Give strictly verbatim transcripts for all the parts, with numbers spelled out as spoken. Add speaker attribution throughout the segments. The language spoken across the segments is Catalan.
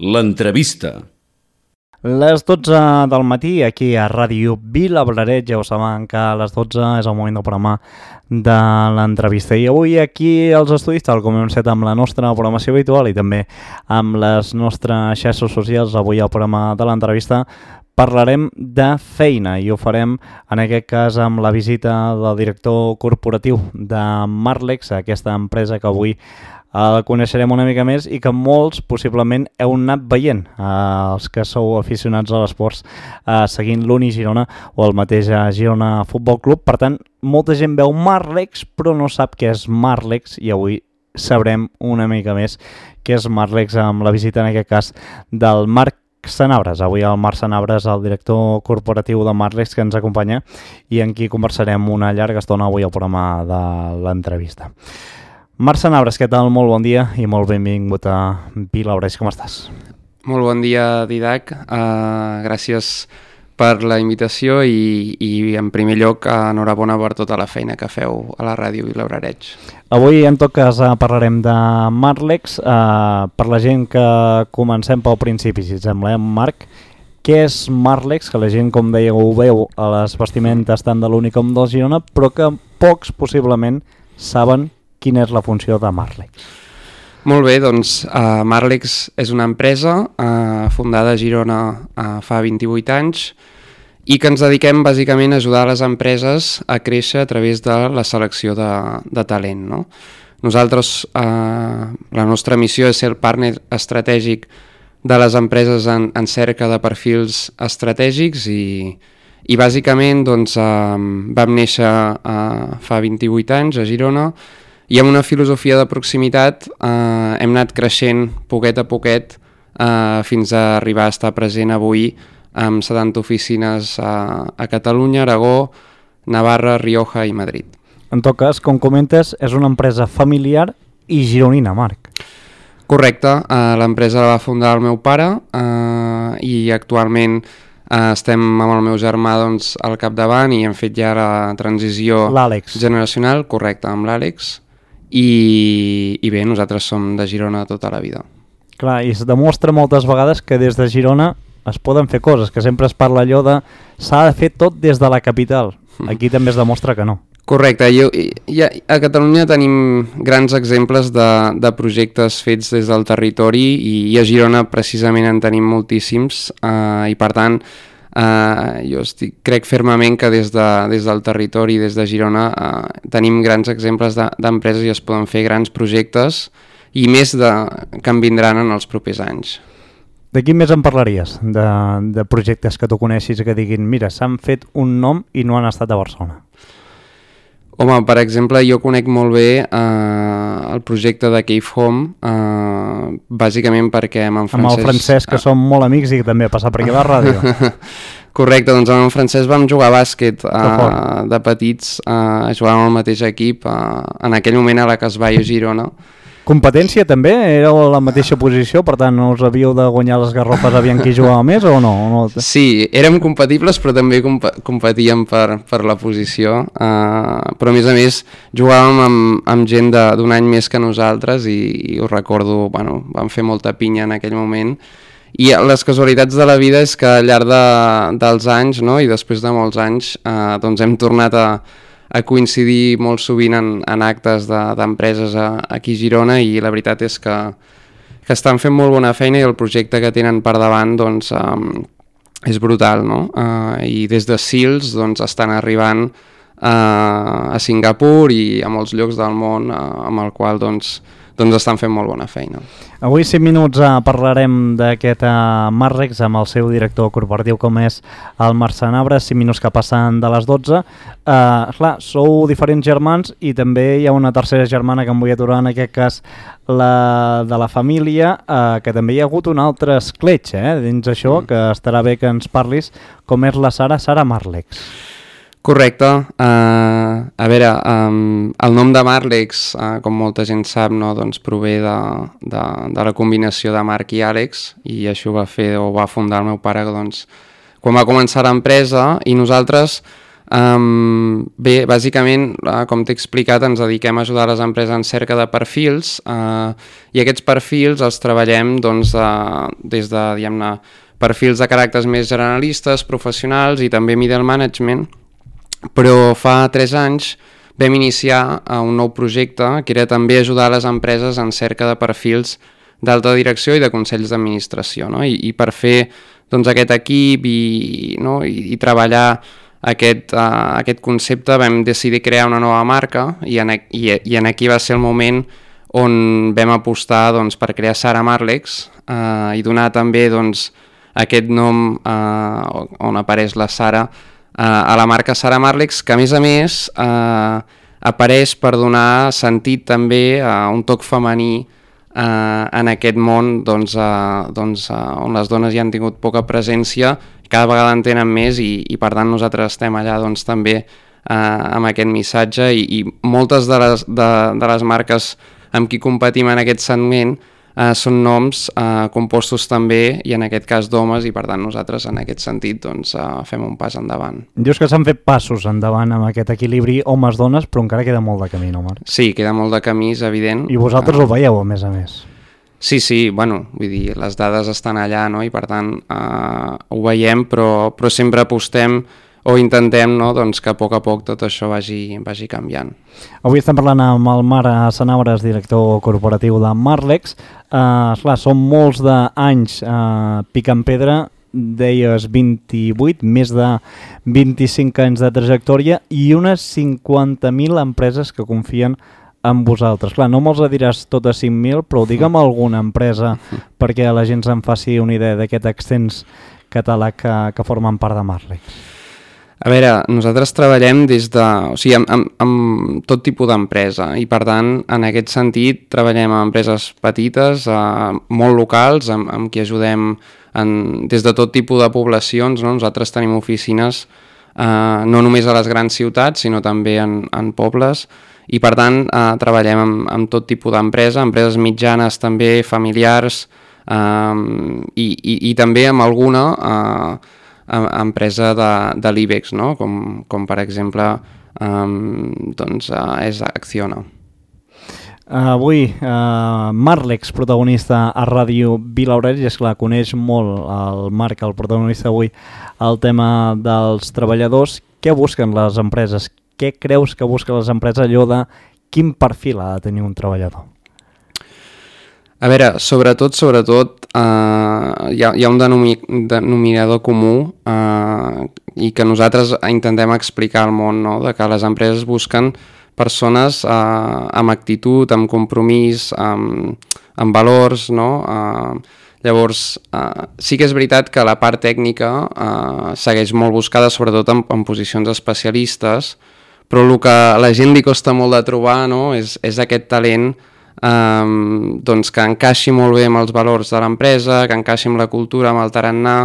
Speaker 1: L'entrevista.
Speaker 2: Les dotze del matí, aquí a Ràdio Vilablareix, ja ho saben que a les dotze és el moment del programa de l'entrevista. I avui aquí als estudis, tal com hem fet amb la nostra programació habitual i també amb les nostres xarxes socials, avui al programa de l'entrevista parlarem de feina i ho farem en aquest cas amb la visita del director corporatiu de Marlex, aquesta empresa que avui el coneixerem una mica més i que molts possiblement heu anat veient, eh, els que sou aficionats a l'esports, eh, seguint l'Uni Girona o el mateix Girona Futbol Club. Per tant, molta gent veu Marlex però no sap què és Marlex i avui sabrem una mica més què és Marlex amb la visita en aquest cas del Marc Sanabres. Avui el Marc Sanabres, el director corporatiu de Marlex, que ens acompanya i amb qui conversarem una llarga estona avui al programa de l'entrevista. Marc Sanabres, què tal? Molt bon dia i molt benvingut a Vilablareix. Com estàs?
Speaker 3: Molt bon dia, Didac. Uh, gràcies per la invitació i, i en primer lloc, uh, enhorabona per tota la feina que feu a la ràdio Vilablareix.
Speaker 2: Avui, en tot cas, uh, parlarem de Marlex. Uh, per la gent que comencem pel principi, si et sembla, eh, Marc? Què és Marlex? Que la gent, com deia, ho veu a les vestimentes tant de l'Uni com del Girona, però que pocs possiblement saben quina és la funció de Marlex.
Speaker 3: Molt bé, doncs uh, Marlex és una empresa uh, fundada a Girona uh, fa vint-i-vuit anys i que ens dediquem bàsicament a ajudar les empreses a créixer a través de la selecció de, de talent, no? Nosaltres, uh, la nostra missió és ser el partner estratègic de les empreses en, en cerca de perfils estratègics i, i bàsicament doncs, uh, vam néixer uh, fa vint-i-vuit anys a Girona i amb una filosofia de proximitat eh, hem anat creixent poquet a poquet eh, fins a arribar a estar present avui amb setanta oficines a, a Catalunya, Aragó, Navarra, Rioja i Madrid.
Speaker 2: En tot cas, com comentes, és una empresa familiar i gironina, Marc.
Speaker 3: Correcte, eh, l'empresa la va fundar el meu pare eh, i actualment eh, estem amb el meu germà doncs, al capdavant i hem fet ja la transició generacional, correcte, amb l'Àlex. I, i bé, nosaltres som de Girona tota la vida.
Speaker 2: Clar, i es demostra moltes vegades que des de Girona es poden fer coses, que sempre es parla allò de s'ha de fer tot des de la capital. Aquí mm. també es demostra que no.
Speaker 3: Correcte, jo, i, a Catalunya tenim grans exemples de, de projectes fets des del territori i, i a Girona precisament en tenim moltíssims eh, i per tant Uh, jo estic, crec fermament que des, de, des del territori, des de Girona, uh, tenim grans exemples d'empreses de, i es poden fer grans projectes i més de, que en vindran en els propers anys.
Speaker 2: De quin més en parlaries? De, de projectes que tu coneixis que diguin mira, s'han fet un nom i no han estat a Barcelona.
Speaker 3: Home, per exemple, jo conec molt bé uh, el projecte de Cave Home, uh, bàsicament perquè amb en Francesc...
Speaker 2: Amb el Francesc, que uh, som molt amics i que també ha passat per aquí a la ràdio.
Speaker 3: Correcte, doncs amb en Francesc vam jugar a bàsquet uh, de petits, uh, jugàvem al mateix equip, uh, en aquell moment a la Casbaio Girona.
Speaker 2: Competència també? Era la mateixa posició, per tant no us havíeu de guanyar les garrofes aviam qui jugava més o no? no?
Speaker 3: Sí, érem compatibles però també comp competíem per, per la posició, uh, però a més a més jugàvem amb, amb gent d'un any més que nosaltres i, i ho recordo, bueno, vam fer molta pinya en aquell moment i les casualitats de la vida és que al llarg de, dels anys, no, i després de molts anys uh, doncs hem tornat a a coincidir molt sovint en, en actes d'empreses de, aquí a Girona i la veritat és que, que estan fent molt bona feina i el projecte que tenen per davant doncs, um, és brutal, no? Uh, I des de Sils doncs, estan arribant uh, a Singapur i a molts llocs del món uh, amb el qual doncs, doncs estan fent molt bona feina.
Speaker 2: Avui cinc minuts uh, parlarem d'aquest uh, Marlex amb el seu director corporatiu com és el Marc Sanabres, cinc minuts que passen de les dotze. Uh, clar, sou diferents germans i també hi ha una tercera germana que em vull aturar, en aquest cas la de la família, uh, que també hi ha hagut un altre escletx eh, dins això, mm. que estarà bé que ens parlis, com és la Sara, Sara Marlex.
Speaker 3: Correcte. Uh, a veure, um, el nom de Marlex, uh, com molta gent sap, no, doncs prové de, de, de la combinació de Marc i Àlex i això va fer o va fundar el meu pare doncs, quan va començar l'empresa i nosaltres Um, bé, bàsicament, uh, com t'he explicat, ens dediquem a ajudar les empreses en cerca de perfils uh, i aquests perfils els treballem doncs, uh, des de, diguem-ne, perfils de caràcters més generalistes, professionals i també middle management, però fa tres anys vam iniciar uh, un nou projecte que era també ajudar les empreses en cerca de perfils d'alta direcció i de consells d'administració, no? I, i per fer doncs, aquest equip i, no? I, i treballar Aquest, uh, aquest concepte vam decidir crear una nova marca i en, i, i en aquí va ser el moment on vam apostar doncs, per crear Sara Marlex uh, i donar també doncs, aquest nom uh, on apareix la Sara uh, a la marca Sara Marlex, que a més a més uh, apareix per donar sentit també a un toc femení uh, en aquest món doncs, uh, doncs, uh, on les dones hi han tingut poca presència, cada vegada en tenen més i, i per tant nosaltres estem allà doncs, també eh, amb aquest missatge i, i moltes de les, de, de les marques amb qui competim en aquest segment eh, són noms eh, compostos també i en aquest cas d'homes i per tant nosaltres en aquest sentit doncs, eh, fem un pas endavant.
Speaker 2: Dius que s'han fet passos endavant amb aquest equilibri homes-dones però encara queda molt de camí, no Marc?
Speaker 3: Sí, queda molt de camí, és evident.
Speaker 2: I vosaltres eh... ho veieu a més a més?
Speaker 3: Sí, sí, bueno, vull dir, les dades estan allà, no?, i per tant eh, ho veiem, però, però sempre apostem o intentem, no?, doncs que a poc a poc tot això vagi, vagi canviant.
Speaker 2: Avui estem parlant amb el Marc Sanabres, director corporatiu de Marlex. Eh, esclar, són molts d'anys eh, picant pedra, deies vint-i-vuit, més de vint-i-cinc anys de trajectòria i unes cinquanta mil empreses que confien amb vosaltres. Clar, no me'ls diràs totes cinc mil, però digue'm alguna empresa perquè la gent se'n faci una idea d'aquest extens català que, que formen part de Marlex.
Speaker 3: A veure, nosaltres treballem des de, o sigui, amb, amb, amb tot tipus d'empresa i per tant, en aquest sentit, treballem amb empreses petites, eh, molt locals, amb, amb qui ajudem en, des de tot tipus de poblacions, no? Nosaltres tenim oficines eh, no només a les grans ciutats, sinó també en, en pobles, i per tant eh, treballem amb, amb tot tipus d'empresa, empreses mitjanes també, familiars eh, i, i, i també amb alguna eh, empresa de, de l'IBEX, no? com, com per exemple eh, doncs, eh, és Acciona.
Speaker 2: Avui uh, Marlex, protagonista a Ràdio Vilaurell, i esclar, coneix molt el Marc, el protagonista avui, el tema dels treballadors. Què busquen les empreses? Què creus que busquen les empreses, allò de quin perfil ha de tenir un treballador?
Speaker 3: A veure, sobretot, sobretot, eh, hi, ha, hi ha un denomi, denominador comú eh, i que nosaltres intentem explicar al món, no? De que les empreses busquen persones eh, amb actitud, amb compromís, amb, amb valors, no? Eh, llavors, eh, sí que és veritat que la part tècnica eh, segueix molt buscada, sobretot en, en posicions especialistes, però el que a la gent li costa molt de trobar, no? és, és aquest talent Um, doncs que encaixi molt bé amb els valors de l'empresa, que encaixi amb la cultura, amb el tarannà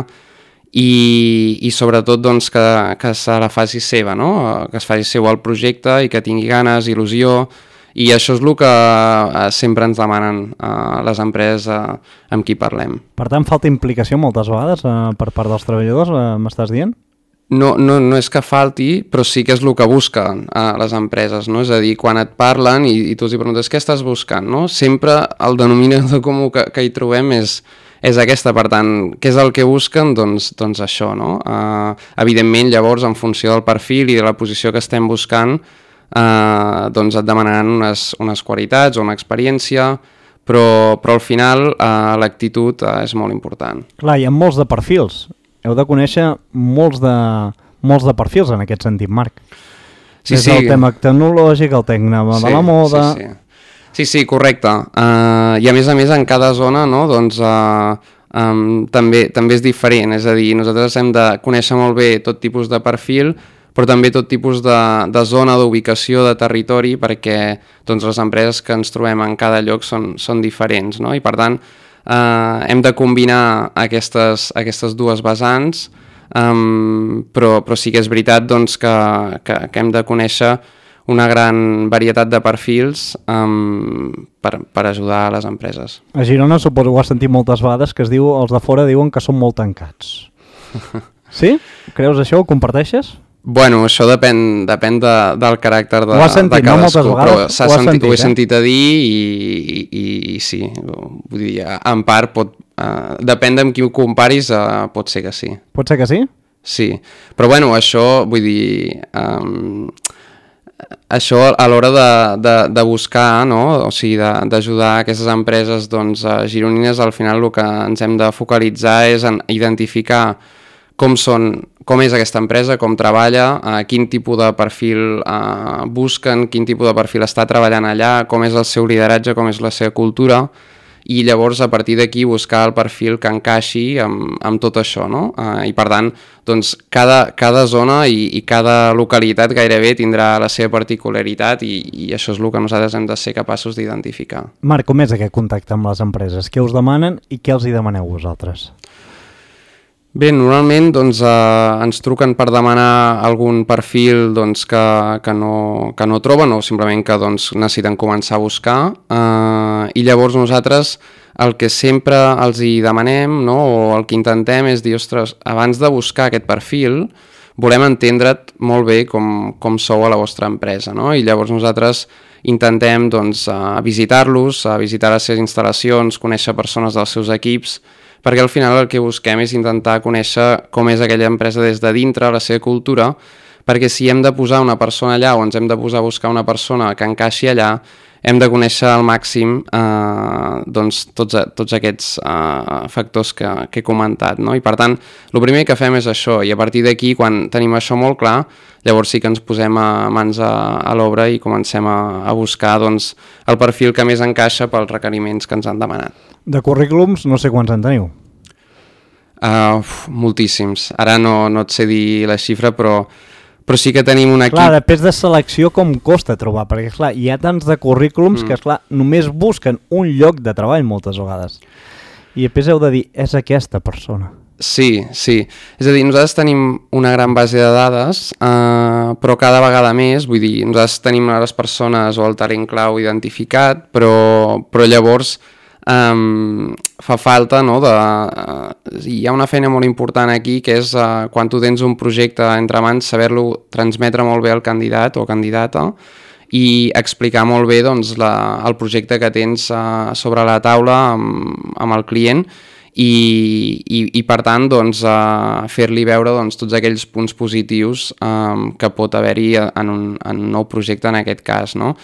Speaker 3: i, i sobretot doncs, que, que se la faci seva, no? Que es faci seu el projecte i que tingui ganes, il·lusió, i això és el que uh, sempre ens demanen uh, les empreses uh, amb qui parlem.
Speaker 2: Per tant, falta implicació moltes vegades uh, per part dels treballadors, uh, m'estàs dient?
Speaker 3: No, no, no és que falti, però sí que és el que busquen a les empreses, no? És a dir, quan et parlen i, i tu els hi preguntes què estàs buscant, no? Sempre el denominador comú que, que hi trobem és, és aquesta, per tant, què és el que busquen? Doncs, doncs això, no? Uh, evidentment, llavors, en funció del perfil i de la posició que estem buscant, uh, doncs et demanaran unes, unes qualitats o una experiència, però, però al final uh, l'actitud uh, és molt important.
Speaker 2: Clar, hi ha molts de perfils. Heu de conèixer molts de, molts de perfils en aquest sentit, Marc.
Speaker 3: Sí,
Speaker 2: Des
Speaker 3: sí.
Speaker 2: del tema tecnològic, el tema de
Speaker 3: sí,
Speaker 2: la moda...
Speaker 3: Sí, sí, sí, sí correcte. Uh, I a més a més en cada zona, no, doncs, uh, um, també, també és diferent. És a dir, nosaltres hem de conèixer molt bé tot tipus de perfil, però també tot tipus de, de zona, d'ubicació, de territori, perquè doncs, les empreses que ens trobem en cada lloc són, són diferents, no? I per tant, Uh, hem de combinar aquestes, aquestes dues vessants, um, però, però sí que és veritat doncs, que, que, que hem de conèixer una gran varietat de perfils um, per, per ajudar a les empreses.
Speaker 2: A Girona suposo que ho has sentit moltes vegades, que es diu, els de fora diuen que són molt tancats. Sí? Creus això? Ho comparteixes?
Speaker 3: Bueno, això depèn, depèn de, del caràcter de,
Speaker 2: sentit,
Speaker 3: de cadascú,
Speaker 2: no?
Speaker 3: però s'ha
Speaker 2: ho,
Speaker 3: sentit,
Speaker 2: sentit,
Speaker 3: ho he
Speaker 2: eh?
Speaker 3: sentit a dir i, i, i sí, vull dir, en part pot, uh, depèn de amb qui ho comparis, uh, pot ser que sí.
Speaker 2: Pot ser que sí?
Speaker 3: Sí, però bueno, això, vull dir, um, això a l'hora de, de, de buscar, no? O sigui, d'ajudar aquestes empreses doncs, gironines, al final el que ens hem de focalitzar és en identificar com són, com és aquesta empresa, com treballa, eh, quin tipus de perfil eh, busquen, quin tipus de perfil està treballant allà, com és el seu lideratge, com és la seva cultura, i llavors a partir d'aquí buscar el perfil que encaixi amb, amb tot això, no? Eh, I per tant, doncs, cada, cada zona i, i cada localitat gairebé tindrà la seva particularitat i, i això és el que nosaltres hem de ser capaços d'identificar.
Speaker 2: Marc, com és aquest contacte amb les empreses? Què us demanen i què els hi demaneu vosaltres?
Speaker 3: Bé, normalment doncs, eh, ens truquen per demanar algun perfil doncs, que, que, no, que no troben o simplement que doncs, necessiten començar a buscar eh, i llavors nosaltres el que sempre els hi demanem, no, o el que intentem és dir, ostres, abans de buscar aquest perfil volem entendre't molt bé com, com sou a la vostra empresa, no? I llavors nosaltres intentem doncs, eh, visitar-los, eh, visitar les seves instal·lacions, conèixer persones dels seus equips, perquè al final el que busquem és intentar conèixer com és aquella empresa des de dintre, la seva cultura, perquè si hem de posar una persona allà o ens hem de posar a buscar una persona que encaixi allà, hem de conèixer al màxim eh, doncs, tots, tots aquests eh, factors que, que he comentat, no? I per tant, el primer que fem és això, i a partir d'aquí, quan tenim això molt clar, llavors sí que ens posem a mans a, a l'obra i comencem a, a buscar doncs, el perfil que més encaixa pels requeriments que ens han demanat.
Speaker 2: De currículums no sé quants en teniu.
Speaker 3: Uh, uf, moltíssims. Ara no, no et sé dir la xifra, però, però sí que tenim un equip...
Speaker 2: Clar, després de selecció com costa trobar, perquè clar, hi ha tants de currículums mm. que esclar, només busquen un lloc de treball moltes vegades. I després heu de dir, és aquesta persona.
Speaker 3: Sí, sí. És a dir, nosaltres tenim una gran base de dades, eh, però cada vegada més, vull dir, nosaltres tenim les persones o el talent clau identificat, però, però llavors um, fa falta, no, de, uh, hi ha una feina molt important aquí, que és uh, quan tu tens un projecte entre mans, saber-lo transmetre molt bé al candidat o candidata, i explicar molt bé doncs, la, el projecte que tens uh, sobre la taula amb, amb el client i, i, i per tant doncs, uh, fer-li veure doncs, tots aquells punts positius um, que pot haver-hi en, un, en un nou projecte en aquest cas, no?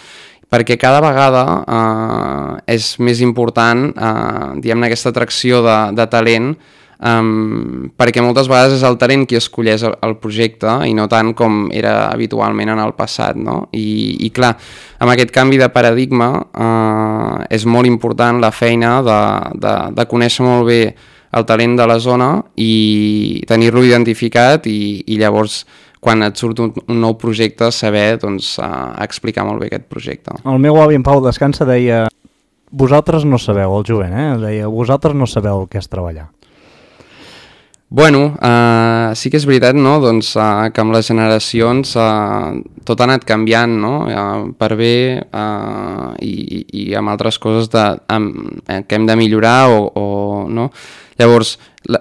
Speaker 3: Perquè cada vegada uh, és més important uh, diguem-ne aquesta atracció de, de talent, um, perquè moltes vegades és el talent qui escolleix el, el projecte i no tant com era habitualment en el passat, no? I, i clar, amb aquest canvi de paradigma uh, és molt important la feina de, de, de conèixer molt bé el talent de la zona i tenir-lo identificat i, i llavors quan et surt un, un nou projecte saber doncs, uh, explicar molt bé aquest projecte.
Speaker 2: El meu avi en Pau Descansa deia vosaltres no sabeu, el jovent, eh? Deia, vosaltres no sabeu el que és treballar.
Speaker 3: Bueno, uh, sí que és veritat, no? Doncs, uh, que amb les generacions uh, tot ha anat canviant, no? Uh, per bé uh, i, i amb altres coses de, um, que hem de millorar o, o no? Llavors, la,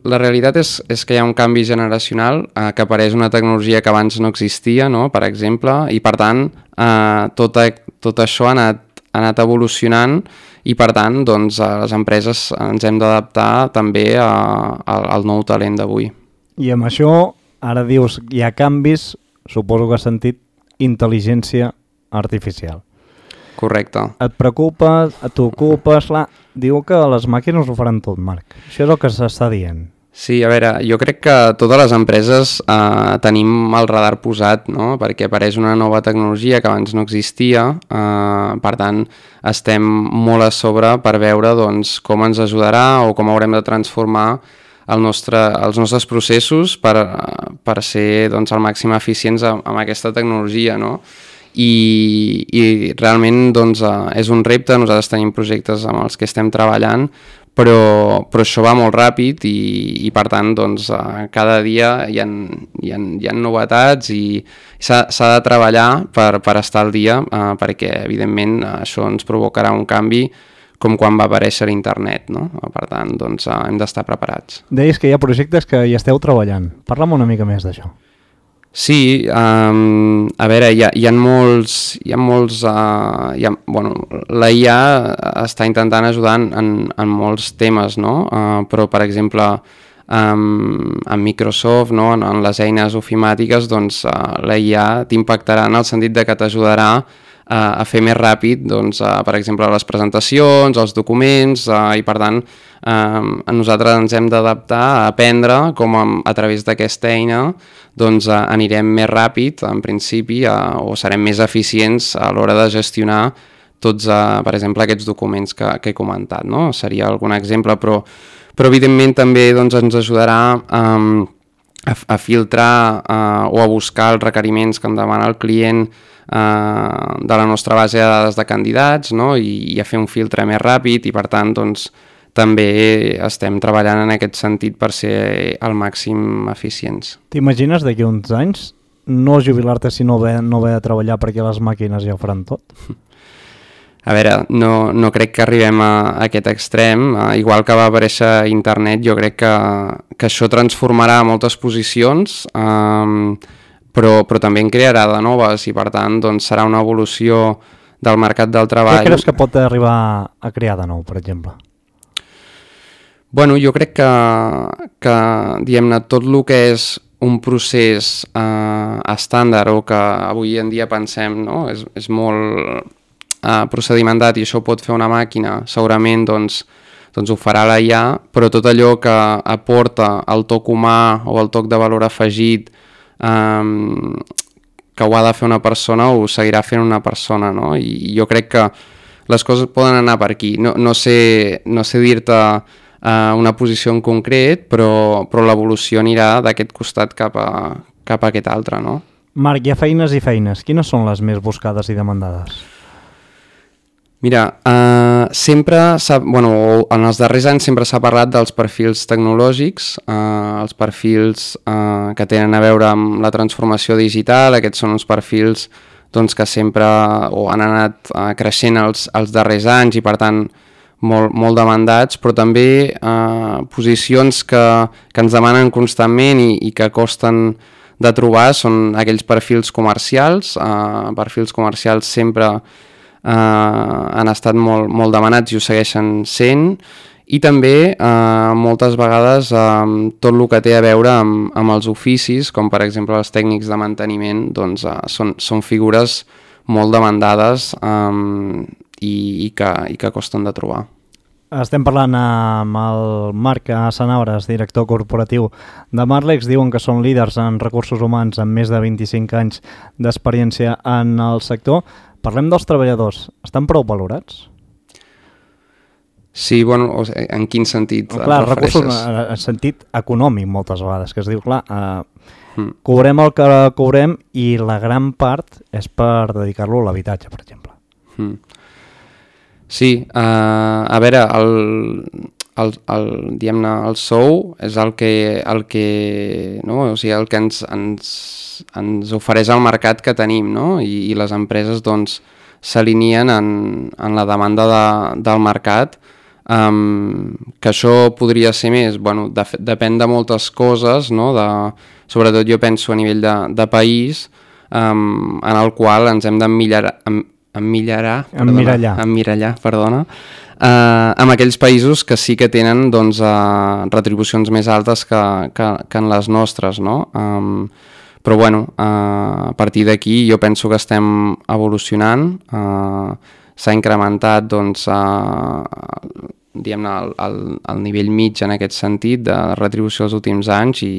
Speaker 3: la realitat és, és que hi ha un canvi generacional, eh, que apareix una tecnologia que abans no existia, no? Per exemple, i per tant eh, tot, a, tot això ha anat, ha anat evolucionant i per tant doncs, les empreses ens hem d'adaptar també a, a, al nou talent d'avui.
Speaker 2: I amb això, ara dius, hi ha canvis, suposo que has sentit intel·ligència artificial.
Speaker 3: Correcte.
Speaker 2: Et preocupa, t'ocupes, clar, diu que les màquines ho faran tot, Marc. Això és el que s'està dient.
Speaker 3: Sí, a veure, jo crec que totes les empreses eh, tenim el radar posat, no? Perquè apareix una nova tecnologia que abans no existia, eh, per tant, estem molt a sobre per veure doncs, com ens ajudarà o com haurem de transformar el nostre, els nostres processos per, per ser doncs, al màxim eficients amb, amb aquesta tecnologia, no? I, i realment doncs, és un repte, nosaltres tenim projectes amb els que estem treballant, però, però això va molt ràpid i, i per tant doncs, cada dia hi ha, hi ha, hi ha novetats i s'ha, s'ha de treballar per, per estar al dia, eh, perquè evidentment això ens provocarà un canvi com quan va aparèixer internet, no? Per tant, doncs, hem d'estar preparats.
Speaker 2: Deies que hi ha projectes que hi esteu treballant. Parla'm una mica més d'això.
Speaker 3: Sí, um, a veure, hi ha, hi ha molts... Hi ha molts uh, hi ha, bueno, la I A està intentant ajudar en, en, en molts temes, no? Uh, però, per exemple, um, en Microsoft, no? en, en les eines ofimàtiques, doncs, uh, la I A t'impactarà en el sentit de que t'ajudarà uh, a fer més ràpid, doncs, uh, per exemple, les presentacions, els documents, uh, i per tant, uh, nosaltres ens hem d'adaptar a aprendre com a, a través d'aquesta eina doncs eh, anirem més ràpid, en principi, eh, o serem més eficients a l'hora de gestionar tots, eh, per exemple, aquests documents que, que he comentat, no? Seria algun exemple, però, però evidentment també doncs, ens ajudarà eh, a, a filtrar eh, o a buscar els requeriments que em demana el client eh, de la nostra base de dades de candidats, no? I, i a fer un filtre més ràpid i, per tant, doncs, també estem treballant en aquest sentit per ser al màxim eficients.
Speaker 2: T'imagines d'aquí uns anys no jubilar-te si no ve, no ve a treballar perquè les màquines ja ho faran tot?
Speaker 3: A veure, no, no crec que arribem a, a aquest extrem. Uh, igual que va aparèixer internet, jo crec que, que això transformarà moltes posicions, um, però, però també en crearà de noves i per tant doncs, serà una evolució del mercat del treball.
Speaker 2: Què creus que pot arribar a crear de nou, per exemple?
Speaker 3: Bueno, jo crec que, que diguem-ne, tot el que és un procés eh, estàndard o que avui en dia pensem, no? és, és molt eh, procedimentat i això ho pot fer una màquina, segurament doncs, doncs ho farà la I A, però tot allò que aporta el toc humà o el toc de valor afegit eh, que ho ha de fer una persona ho seguirà fent una persona, no? I jo crec que les coses poden anar per aquí. No, no sé, no sé dir-te Uh, una posició en concret, però, però l'evolució anirà d'aquest costat cap a, cap a aquest altre, no?
Speaker 2: Marc, hi ha feines i feines. Quines són les més buscades i demandades?
Speaker 3: Mira, uh, sempre s'ha, bueno, en els darrers anys sempre s'ha parlat dels perfils tecnològics, uh, els perfils uh, que tenen a veure amb la transformació digital. Aquests són uns perfils doncs, que sempre o han anat uh, creixent els, els darrers anys i per tant Molt, molt demandats, però també eh, posicions que, que ens demanen constantment i, i que costen de trobar són aquells perfils comercials. Eh, perfils comercials sempre eh, han estat molt, molt demanats i ho segueixen sent, i també eh, moltes vegades eh, tot el que té a veure amb, amb els oficis, com per exemple els tècnics de manteniment, doncs, eh, són, són figures molt demandades eh, i, i, que, i que costen de trobar.
Speaker 2: Estem parlant amb el Marc Sanabres, director corporatiu de Marlex. Diuen que són líders en recursos humans amb més de vint-i-cinc anys d'experiència en el sector. Parlem dels treballadors. Estan prou valorats?
Speaker 3: Sí, bueno, en quin sentit?
Speaker 2: Clar, recursos en sentit econòmic moltes vegades, que es diu, clar, eh, mm. cobrem el que cobrem i la gran part és per dedicar-lo a l'habitatge, per exemple.
Speaker 3: Mm. Sí, uh, a veure, el, el, el, diguem-ne, el sou és el que, el que, no? O sigui, el que ens, ens, ens ofereix el mercat que tenim, no? I, i les empreses doncs, s'alineen en, en la demanda de, del mercat. Um, que això podria ser més, bueno, de, depèn de moltes coses, no? De, sobretot jo penso a nivell de, de país, um, en el qual ens hem d'emmirallar, emmirallar,
Speaker 2: emmirallar,
Speaker 3: emmirallar, perdona, uh, amb aquells països que sí que tenen doncs, uh, retribucions més altes que, que, que en les nostres, no? Um, però bueno, uh, a partir d'aquí jo penso que estem evolucionant, uh, s'ha incrementat doncs, uh, diguem-ne, el, el, el nivell mig en aquest sentit de retribució els últims anys i,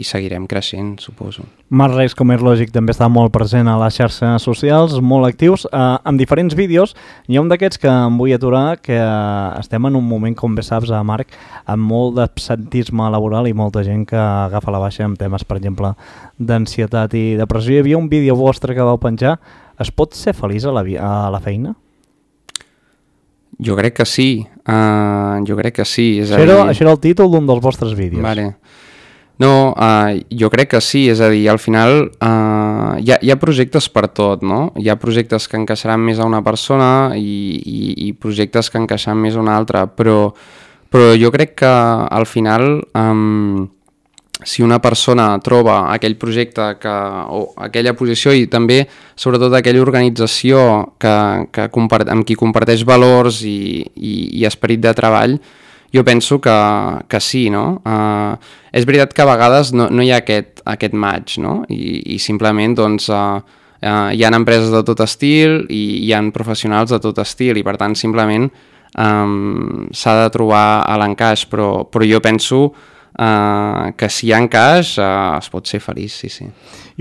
Speaker 3: i seguirem creixent, suposo.
Speaker 2: Marlex, com és lògic, també està molt present a les xarxes socials, molt actius, eh, amb diferents vídeos. Hi ha un d'aquests que em vull aturar, que eh, estem en un moment, com bé saps, a Marc, amb molt d'absentisme laboral i molta gent que agafa la baixa amb temes, per exemple, d'ansietat i depressió. Hi havia un vídeo vostre que vau penjar. Es pot ser feliç a la, a la feina?
Speaker 3: Jo crec que sí, uh, jo crec que sí. És
Speaker 2: això, era, dir... això era el títol d'un dels vostres vídeos.
Speaker 3: Vale. No, uh, jo crec que sí, és a dir, al final uh, hi, ha, hi ha projectes per tot, no? Hi ha projectes que encaixaran més a una persona i, i, i projectes que encaixaran més a una altra, però, però jo crec que al final um, si una persona troba aquell projecte que, o aquella posició i també sobretot aquella organització que, que compart, amb qui comparteix valors i, i, i esperit de treball, jo penso que, que sí, no? Uh, és veritat que a vegades no, no hi ha aquest, aquest match, no? I, i simplement doncs, uh, uh, hi ha empreses de tot estil i hi ha professionals de tot estil i per tant simplement um, s'ha de trobar a l'encaix, però, però jo penso Uh, que si hi ha encaix uh, es pot ser feliç, sí, sí.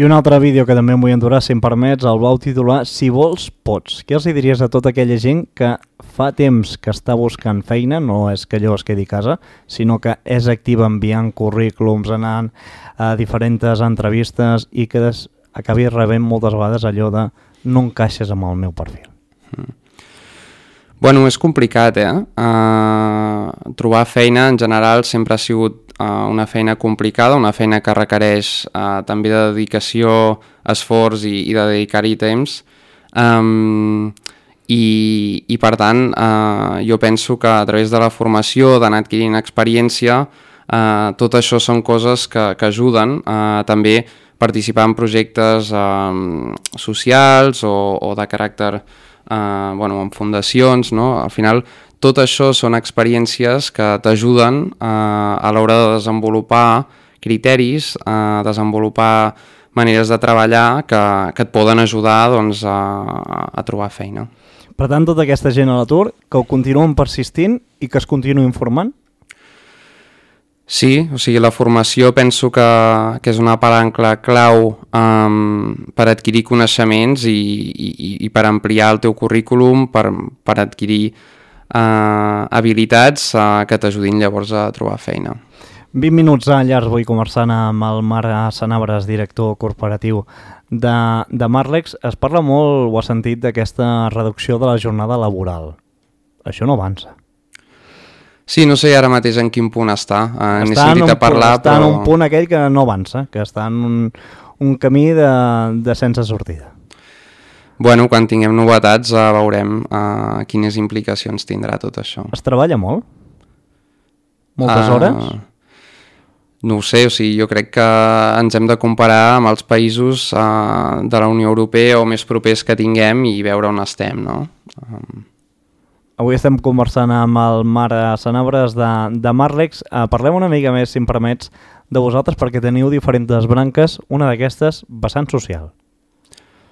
Speaker 2: I un altre vídeo que també em vull endurar, si em permets, el vau titular Si vols, pots. Què els diries a tota aquella gent que fa temps que està buscant feina, no és que allò es quedi a casa, sinó que és activa enviant currículums, anant a diferents entrevistes i que des, acabi rebent moltes vegades allò de no encaixes amb el meu perfil?
Speaker 3: Mm. Bueno, és complicat, eh? Uh, trobar feina en general sempre ha sigut uh, una feina complicada, una feina que requereix uh, també de dedicació, esforç i, i de dedicar-hi temps. Um, i, I per tant, uh, jo penso que a través de la formació, d'anar adquirint experiència, uh, tot això són coses que, que ajuden a uh, també participar en projectes uh, socials o, o de caràcter Uh, bueno, en fundacions, no? Al final tot això són experiències que t'ajuden uh, a l'hora de desenvolupar criteris, a uh, desenvolupar maneres de treballar que, que et poden ajudar doncs, a, a trobar feina.
Speaker 2: Per tant, tota aquesta gent a l'atur, que ho continuen persistint i que es continuïn formant?
Speaker 3: Sí, o sigui, la formació penso que, que és una palanca clau um, per adquirir coneixements i, i, i per ampliar el teu currículum, per, per adquirir uh, habilitats uh, que t'ajudin llavors a trobar feina.
Speaker 2: vint minuts a llarg vull conversant amb el Marc Sanabres, director corporatiu de, de Marlex. Es parla molt, ho has sentit, d'aquesta reducció de la jornada laboral. Això no avança.
Speaker 3: Sí, no sé ara mateix en quin punt està. Uh,
Speaker 2: està en un,
Speaker 3: parlar,
Speaker 2: està
Speaker 3: però...
Speaker 2: en un punt aquell que no avança, que està en un, un camí de, de sense sortida.
Speaker 3: Bueno, quan tinguem novetats uh, veurem uh, quines implicacions tindrà tot això.
Speaker 2: Es treballa molt? Moltes uh, hores?
Speaker 3: No ho sé, o sigui, jo crec que ens hem de comparar amb els països uh, de la Unió Europea o més propers que tinguem i veure on estem, no? Um...
Speaker 2: Avui estem conversant amb el Marc Sanabres de, de Marlex. Uh, parlem una mica més, si em permets, de vosaltres perquè teniu diferents branques, una d'aquestes vessant social.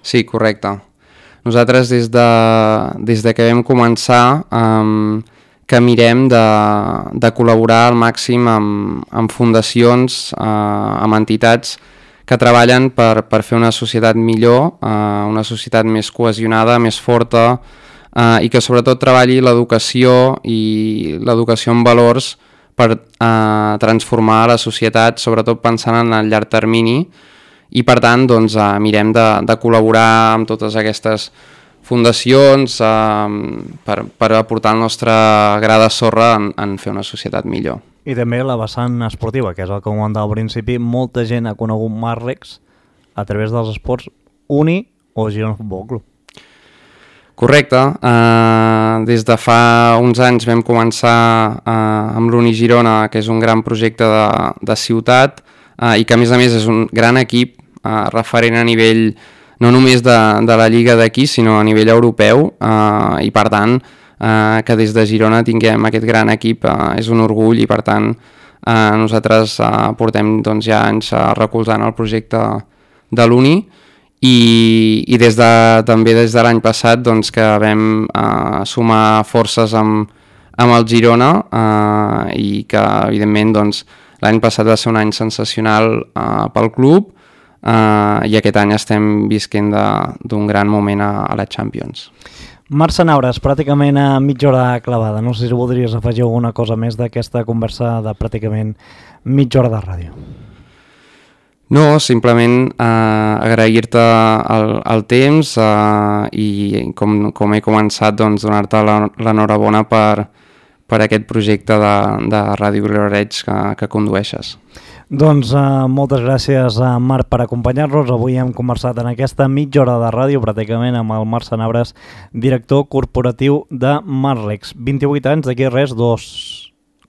Speaker 3: Sí, correcte. Nosaltres des de, des de que vam començar um, que mirem de, de col·laborar al màxim amb, amb fundacions, uh, amb entitats que treballen per, per fer una societat millor, uh, una societat més cohesionada, més forta, Uh, i que sobretot treballi l'educació i l'educació en valors per uh, transformar la societat, sobretot pensant en el llarg termini, i per tant doncs, uh, mirem de, de col·laborar amb totes aquestes fundacions uh, per, per aportar el nostre gra de sorra en, en fer una societat millor.
Speaker 2: I també la vessant esportiva, que és el que comentava al principi, molta gent ha conegut Marlex a través dels esports Uni o Girona Futbol Club.
Speaker 3: Correcte, uh, des de fa uns anys vam començar uh, amb l'Uni Girona, que és un gran projecte de, de ciutat uh, i que a més a més és un gran equip uh, referent a nivell no només de, de la lliga d'aquí sinó a nivell europeu uh, i per tant uh, que des de Girona tinguem aquest gran equip uh, és un orgull i per tant uh, nosaltres uh, portem doncs, ja anys uh, recolzant el projecte de l'Uni. I, i des de, també des de l'any passat doncs, que vam eh, sumar forces amb, amb el Girona eh, i que evidentment doncs, l'any passat va ser un any sensacional eh, pel club eh, i aquest any estem visquent d'un gran moment a, a la Champions.
Speaker 2: Marc Sanabres, pràcticament a mitja hora clavada. No sé si voldries afegir alguna cosa més d'aquesta conversa de pràcticament mitja hora de ràdio.
Speaker 3: No, simplement eh, agrair-te el, el temps eh, i com, com he començat doncs, donar-te l'enhorabona per, per aquest projecte de, de Ràdio Vilareig que, que condueixes.
Speaker 2: Doncs uh, moltes gràcies a Marc per acompanyar-nos. Avui hem conversat en aquesta mitja hora de ràdio pràcticament amb el Marc Sanabres, director corporatiu de Marlex. vint-i-vuit anys, d'aquí res, dos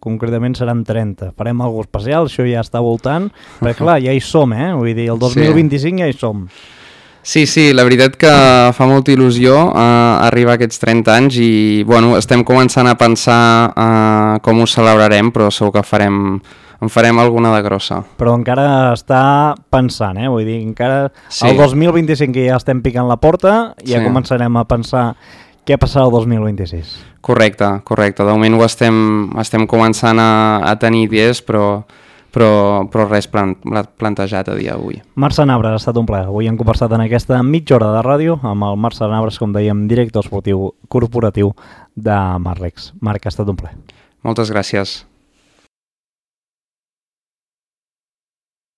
Speaker 2: concretament seran trenta. Farem alguna cosa especial, això ja està voltant, perquè clar, ja hi som, eh? Vull dir, el dos mil vint-i-cinc sí. ja hi som.
Speaker 3: Sí, sí, la veritat que fa molta il·lusió eh, arribar a aquests trenta anys i bueno, estem començant a pensar eh, com ho celebrarem, però segur que farem, en farem alguna de grossa.
Speaker 2: Però encara està pensant, eh? Vull dir, encara
Speaker 3: sí.
Speaker 2: el dos mil vint-i-cinc que ja estem picant la porta, ja
Speaker 3: sí.
Speaker 2: començarem a pensar què passarà el dos mil vint-i-sis.
Speaker 3: Correcte, correcte. De moment ho estem, estem començant a, a tenir idees, però, però, però res plan, plantejat a dia d'avui.
Speaker 2: Marc Sanabres, ha estat un plaer. Avui hem conversat en aquesta mitja hora de ràdio amb el Marc Sanabres, com dèiem, director esportiu corporatiu de Marlex. Marc, ha estat un plaer.
Speaker 3: Moltes gràcies.